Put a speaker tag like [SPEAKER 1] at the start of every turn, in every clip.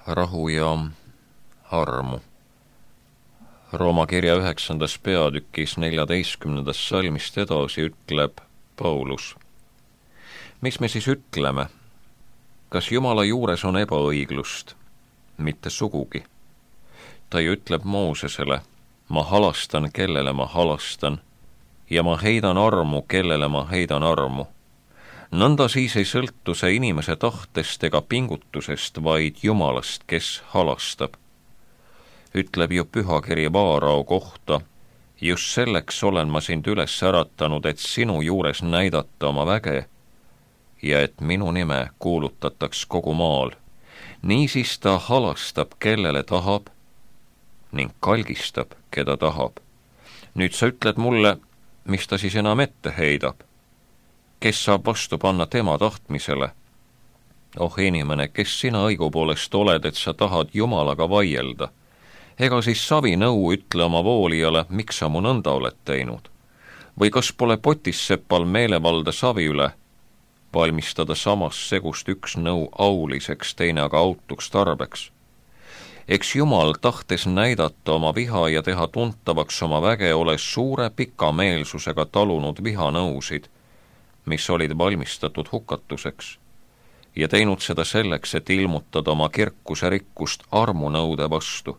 [SPEAKER 1] Rahu ja armu. Rooma kirja 9. peatükis 14. salmist edasi ütleb Paulus. Mis me siis ütleme? Kas Jumala juures on ebaõiglust? Mitte sugugi. Ta ju ütleb Moosesele, ma halastan, kellele ma halastan, ja ma heidan armu, kellele ma heidan armu. Nõnda siis ei sõltu see inimese tahtest ega pingutusest, vaid Jumalast, kes halastab. Ütleb ju pühakiri Vaarao kohta, just selleks olen ma sind üles äratanud, et sinu juures näidata oma väge ja et minu nime kuulutataks kogu maal. Niisiis ta halastab, kellele tahab, ning kalgistab, keda tahab. Nüüd sa ütled mulle, mis ta siis enam ette heidab? Kes saab vastu panna tema tahtmisele? Oh inimene, kes sina õigupoolest oled, et sa tahad Jumalaga vaielda? Ega siis savinõu ütle oma voolijale, miks sa mu nõnda oled teinud? Või kas pole potissepal meelevalda savi üle? Valmistada samas segust üks nõu auliseks, teine aga autuks tarbeks. Eks Jumal tahtes näidata oma viha ja teha tuntavaks oma väge, ole suure pikameelsusega talunud vihanõusid, mis olid valmistatud hukatuseks, ja teinud seda selleks, et ilmutada oma kirkuse rikkust armunõude vastu,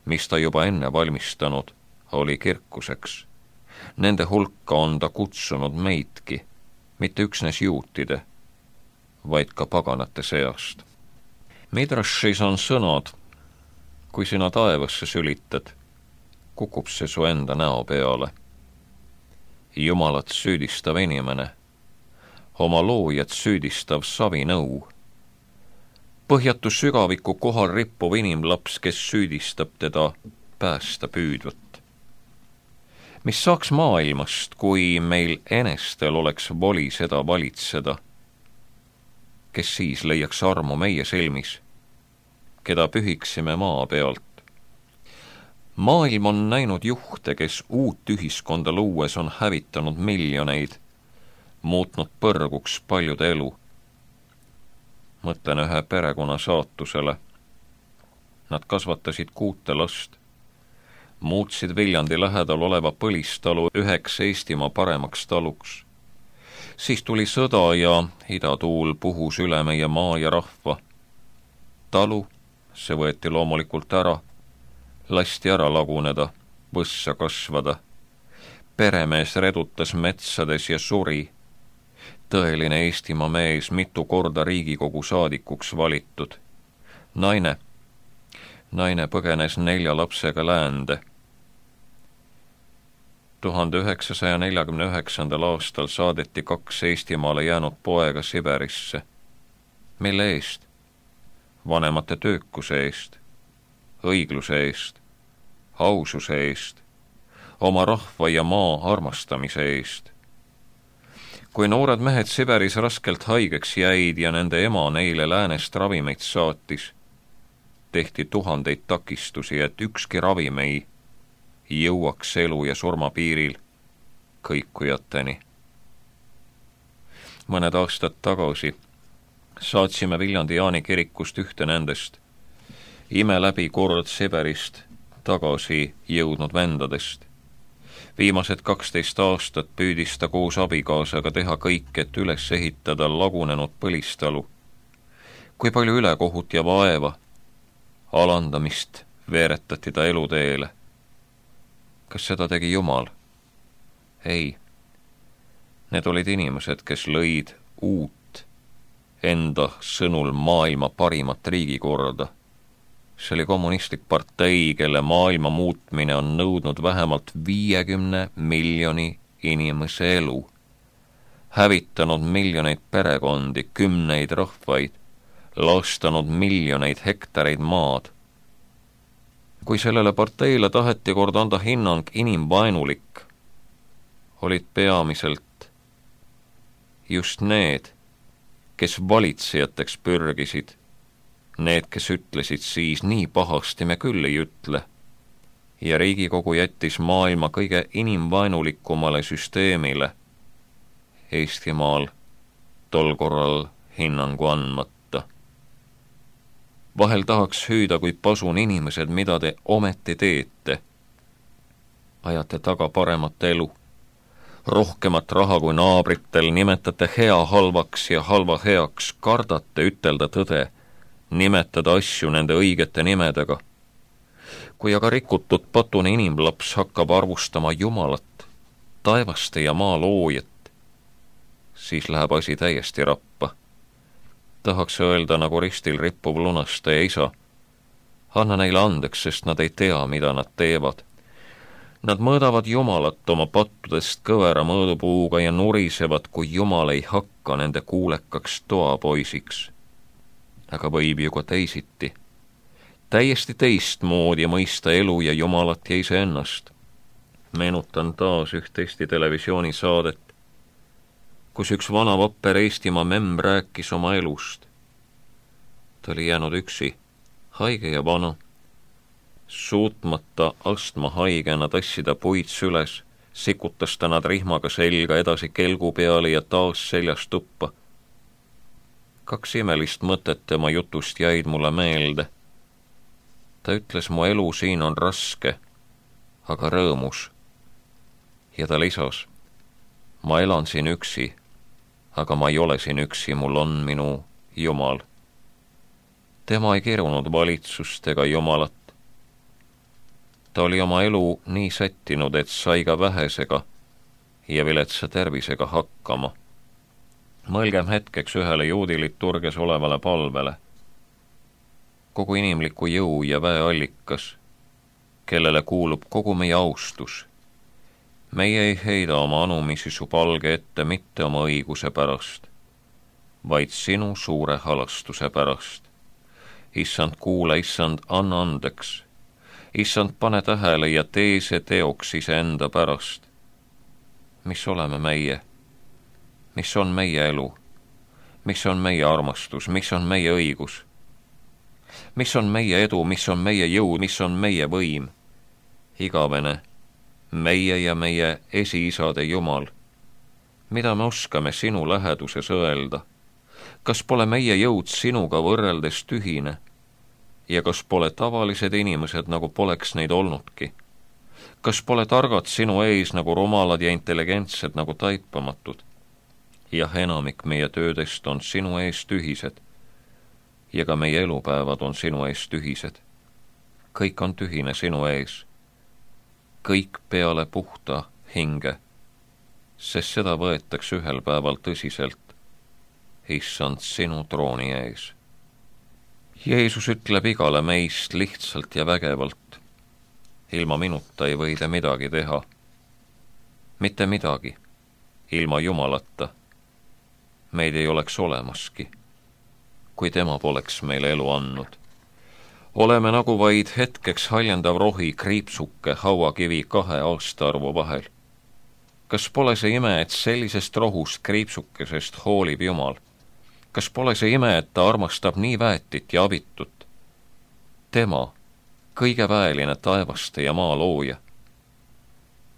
[SPEAKER 1] mis ta juba enne valmistanud oli kirkuseks. Nende hulka on ta kutsunud meidki, mitte üksnes juutide, vaid ka paganate seast. Midrashis on sõnad, kui sina taevasse sülitad, kukub see su enda näo peale. Jumalat süüdistav inimene, oma loojat süüdistav savinõu. Põhjatu sügaviku kohal rippuv inimlaps, kes süüdistab teda päästa püüdvat. Mis saaks maailmast, kui meil enestel oleks voli seda valitseda? Kes siis leiaks armu meie silmis, keda pühiksime maa pealt? Maailm on näinud juhte, kes uut ühiskonda luues on hävitanud miljoneid, muutnud põrguks paljude elu. Mõtlen ühe perekonna saatusele. Nad kasvatasid 6 last, muutsid Viljandi lähedal oleva põlistalu üheks Eestimaa paremaks taluks. Siis tuli sõda ja idatuul puhus üle meie maa ja rahva. Talu, see võeti loomulikult ära, lasti ära laguneda, võssa kasvada. Peremees redutas metsades ja suri. Tõeline Eestimaa mees, mitu korda Riigikogu saadikuks valitud. Naine põgenes 4 lapsega läände. 1949. aastal saadeti 2 Eestimaale jäänud poega Siberisse. Mille eest? Vanemate töökuse eest, õigluse eest, aususe eest, oma rahva ja maa armastamise eest. Kui noored mehed Siberis raskelt haigeks jäid ja nende ema neile läänest ravimeid saatis, tehti 1000 takistusi, et ükski ravim ei jõuaks elu ja surma piiril kõikujateni. Mõned aastad tagasi saatsime Viljandi Jaani kirikust ühte nendest ime läbi kord Siberist tagasi jõudnud vendadest. Viimased 12 aastat püüdis ta koos abikaasaga teha kõik, et üles ehitada lagunenud põlistalu. Kui palju ülekohut ja vaeva, alandamist veeretati ta eluteele. Kas seda tegi Jumal? Ei. Need olid inimesed, kes lõid uut, enda sõnul maailma parimat riigikorda. See oli kommunistlik partei, kelle maailma muutmine on nõudnud vähemalt 50 miljoni inimese elu, hävitanud miljoneid perekondi, 10 rahvaid, lastanud miljoneid hektareid maad. Kui sellele parteile taheti kord anda hinnang inimvaenulik, olid peamiselt just need, kes valitsejateks pürgisid, need, kes ütlesid siis nii pahasti me küll ei ütle, ja Riigikogu jättis maailma kõige inimvaenulikumale süsteemile Eestimaal tol korral hinnangu andmata. Vahel tahaks hüüda, kui pasun inimesed, mida te ometi teete. Ajate taga paremat elu, rohkemat raha kui naabritel, nimetate hea halvaks ja halva heaks, kardate ütelda tõde, nimetada asju nende õigete nimedega. Kui aga rikutud patune inimlaps hakkab arvustama Jumalat, taevaste ja maa loojat, siis läheb asi täiesti rappa. Tahaks öelda nagu ristil rippuv lunastaja isa, anna neile andeks, sest nad ei tea, mida nad teevad. Nad mõõdavad Jumalat oma pattudest kõvera mõõdupuuga ja nurisevad, kui Jumal ei hakka nende kuulekaks toapoisiks. Aga võib ju ka teisiti. Täiesti teistmoodi mõista elu ja Jumalat ja iseennast. Meenutan taas üht Eesti televisioonisaadet, kus üks vana vapper Eestimaa memm rääkis oma elust. Ta oli jäänud üksi, haige ja vana, suutmata astmahaigena tassida puid süles, sikutas ta nad rihmaga selga edasi kelgu peale ja taas seljas tuppa. 2 imelist mõtet tema jutust jäid mulle meelde. Ta ütles, mu elu siin on raske, aga rõõmus. Ja ta lisas, ma elan siin üksi, aga ma ei ole siin üksi, mul on minu Jumal. Tema ei kirunud valitsust ega Jumalat. Ta oli oma elu nii sättinud, et sai ka vähesega ja viletsa tervisega hakkama. Mõelgem hetkeks ühele juudi liturgias olevale palvele. Kogu inimliku jõu ja väe allikas, kellele kuulub kogu meie austus. Meie ei heida oma anumisi su palge ette mitte oma õiguse pärast, vaid sinu suure halastuse pärast. Issand, kuule, issand, anna andeks. Issand, pane tähele ja tee see teoks iseenda pärast. Mis oleme meie? Mis on meie elu? Mis on meie armastus? Mis on meie õigus? Mis on meie edu? Mis on meie jõud? Mis on meie võim? Igavene, meie ja meie esiisade Jumal. Mida me oskame sinu läheduses öelda? Kas pole meie jõud sinuga võrreldes tühine? Ja kas pole tavalised inimesed, nagu poleks neid olnudki? Kas pole targad sinu ees nagu rumalad ja intelligentsed nagu taipamatud? Jah, enamik meie töödest on sinu ees tühised ja ka meie elupäevad on sinu ees tühised. Kõik on tühine sinu ees. Kõik peale puhta hinge, sest seda võetakse ühel päeval tõsiselt, issand, sinu trooni ees. Jeesus ütleb igale meist lihtsalt ja vägevalt, ilma minuta ei või te midagi teha. Mitte midagi, ilma Jumalata. Meid ei oleks olemaski, kui tema poleks meile elu andnud. Oleme nagu vaid hetkeks haljendav rohi kriipsuke hauakivi 2 aastaarvu vahel. Kas pole see ime, et sellisest rohust kriipsukesest hoolib Jumal? Kas pole see ime, et ta armastab nii väetit ja abitut? Tema, kõige väeline taevaste ja maa looja.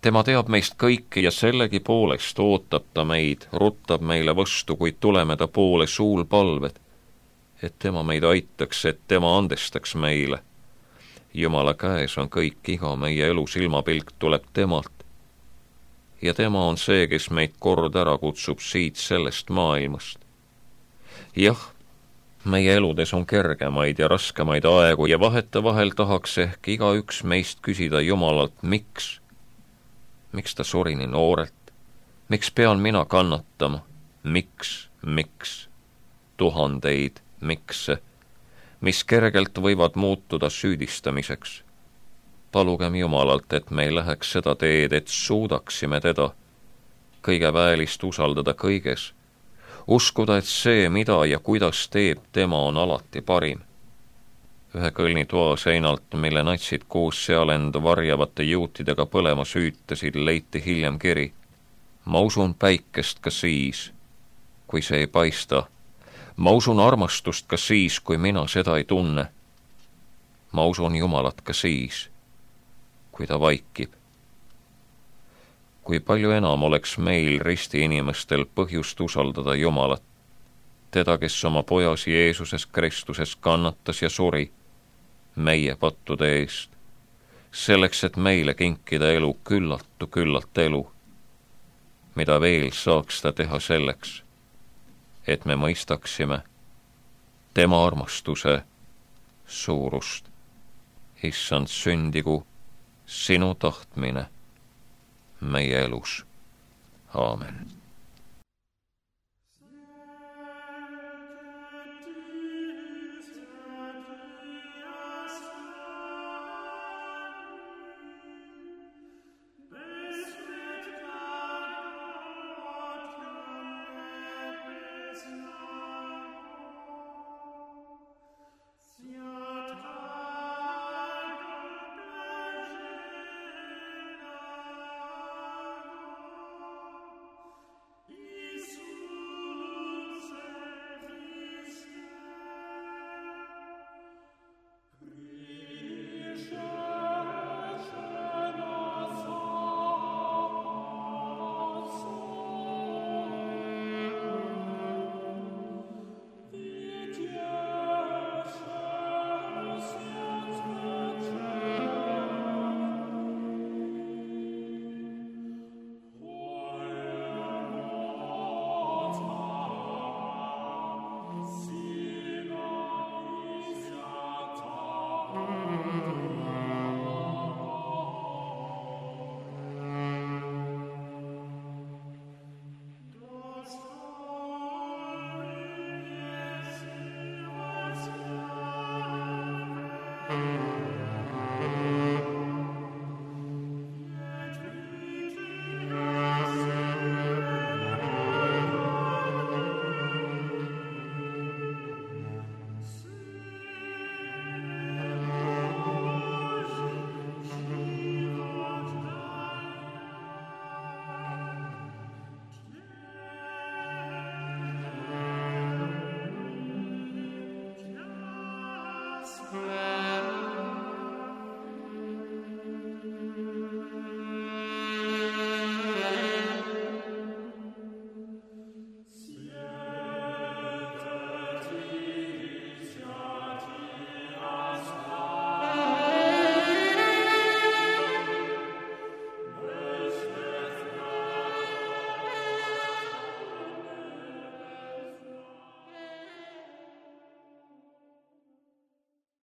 [SPEAKER 1] Tema teab meist kõike ja sellegi poolest ootab ta meid, ruttab meile vastu, kuid tuleme ta poole suulpalved, et tema meid aitaks, et tema andestaks meile. Jumala käes on kõik, iga meie elu silmapilk tuleb temalt. Ja tema on see, kes meid kord ära kutsub siit sellest maailmast. Jah, meie eludes on kergemaid ja raskemaid aegu ja vahetevahel tahaks ehk igaüks meist küsida Jumalalt, miks? Miks ta suri nii noorelt? Miks pean mina kannatama? Miks? Tuhandeid mikse, mis kergelt võivad muutuda süüdistamiseks. Palugem Jumalalt, et me ei läheks seda teed, et suudaksime teda, kõige väelist usaldada kõiges, uskuda, et see, mida ja kuidas teeb tema, on alati parim. Ühe kõlnitoa seinalt, mille natsid koos seal end varjavate juutidega põlema süütasid, leiti hiljem kiri. Ma usun päikest ka siis, kui see ei paista. Ma usun armastust ka siis, kui mina seda ei tunne. Ma usun Jumalat ka siis, kui ta vaikib. Kui palju enam oleks meil risti inimestel põhjust usaldada Jumalat, teda, kes oma pojasi Jeesuses Kristuses kannatas ja suri meie pattude eest, selleks, et meile kinkida elu küllalt elu, mida veel saaks ta teha selleks, et me mõistaksime tema armastuse suurust. Issand, sündigu sinu tahtmine meie elus. Aamen.